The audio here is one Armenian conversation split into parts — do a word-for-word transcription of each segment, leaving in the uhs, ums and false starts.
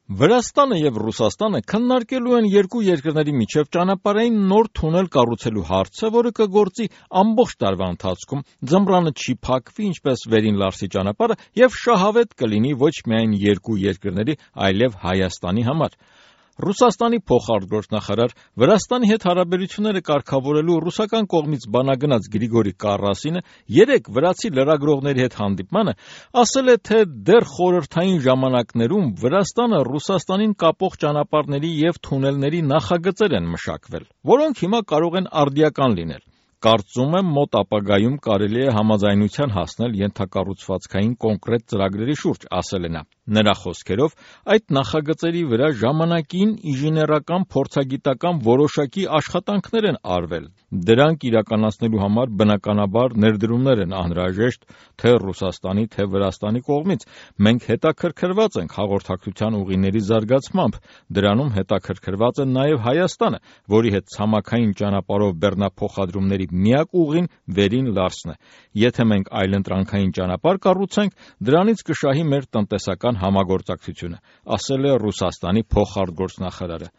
Վրաստանը եւ Ռուսաստանը քննարկելու են երկու երկրների միջև ճանապարհային նոր թունել կառուցելու հարցը, որը կգործի ամբողջ տարվա ընթացքում, ձմռանը չի փակվի, ինչպես Վերին Լարսի ճանապարհը, եւ շահավետ կլինի ոչ միայն երկու երկրների, այլև Հայաստանի համար։ Ռուսաստանի փոխարտգործնախարար, Վրաստանի հետ հարաբերությունները կարգավորելու ռուսական կողմից բանագնաց Գրիգորի Կարասինը երեկ վրացի լրագրողների հետ հանդիպմանը ասել է, թե դեռ խորհրդային ժամանակներում Վրաստանը Ռուսաստանին կապող ճանապարհների եւ թունելների նախագծեր են մշակվել, որոնք հիմա կարող են արդիական լինել։ Կարծում եմ մոտ ապագայում կարելի է համաձայնության հասնել ենթակառուցվածքային կոնկրետ ծրագրերի շուրջ, ասել է նա։ Նրա խոսքերով, այդ նախագծերի վրա ժամանակին ինժեներական փորձագիտական որոշակի աշխատանքներ են արվել։ Դրանք իրականացնելու համար բնականաբար ներդրումներ են անհրաժեշտ թե Ռուսաստանի, թե Վրաստանի կողմից։ Մենք հետաքրքրված ենք հաղորդակցության ուղիների զարգացմամբ, դրանում հետաքրքրված է նաև Հայաստանը, որի հետ ցամաքային ճանապարհով բեռնափոխադրումների միակ ուղին Վերին Լարսն է։ Եթե մենք այլընտրանքային ճանապարհ կառուցենք, դրանից կշահի մեր տնտեսական համագործակցությունը, ասել է Ռուսաստանի փոխարտգործնախարարը։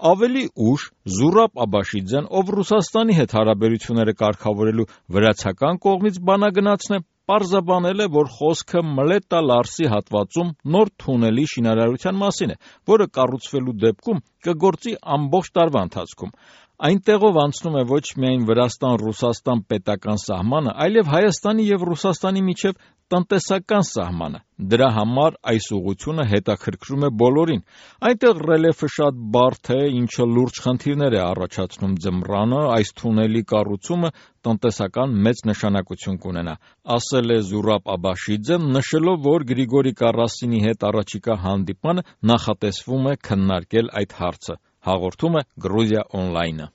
Ավելի ուշ Զուրաբ Աբաշիձեն, ով Ռուսաստանի հետ հարաբերությունները կարգավորելու վրացական կողմից բանագնացն է, պարզաբանել է, որ խոսքը Մլետա Լարսի հատվածում նոր թունելի շինարարության մասին է, որը կառուցվելու դեպքում կգործի ամբողջ տարվա ընթացքում։ Այնտեղով անցնում է ոչ միայն Վրաստան-Ռուսաստան պետական սահմանը, այլև Հայաստանի եւ Ռուսաստանի միջև տնտեսական սահմանը։ Դրա համար այս ուղղությունը հետաքրքրում է բոլորին։ Այնտեղ ռելիեֆը շատ բարդ է, ինչը լուրջ խնդիրներ է առաջացնում ձմռանը, այս թունելի կառուցումը տնտեսական մեծ նշանակություն կունենա, ասել է Զուրաբ Աբաշիձեն, նշելով, որ Գրիգորի Կարասինի հետ առաջիկա հանդիպմանը նախատեսվում է քննարկել այդ հարցը։ Հաղորդում է Գրուզիա Օնլայնը։